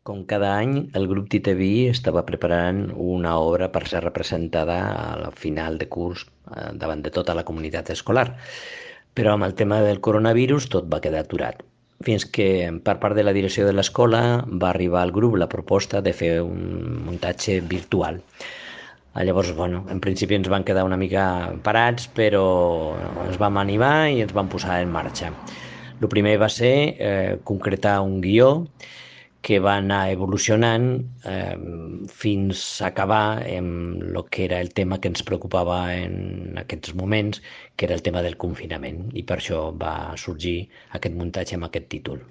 Com cada any, el grup Titeví estava preparant una obra per ser representada al final de curs davant de tota la comunitat escolar. Però amb el tema del coronavirus tot va quedar aturat. Fins que per part de la direcció de l'escola va arribar al grup la proposta de fer un muntatge virtual. Llavors, bueno, en principi ens van quedar una mica parats, però ens vam animar i ens vam posar en marxa. El primer va ser concretar un guió que va anar evolucionant fins a acabar amb el que era el tema que ens preocupava en aquests moments, que era el tema del confinament, i per això va sorgir aquest muntatge amb aquest títol.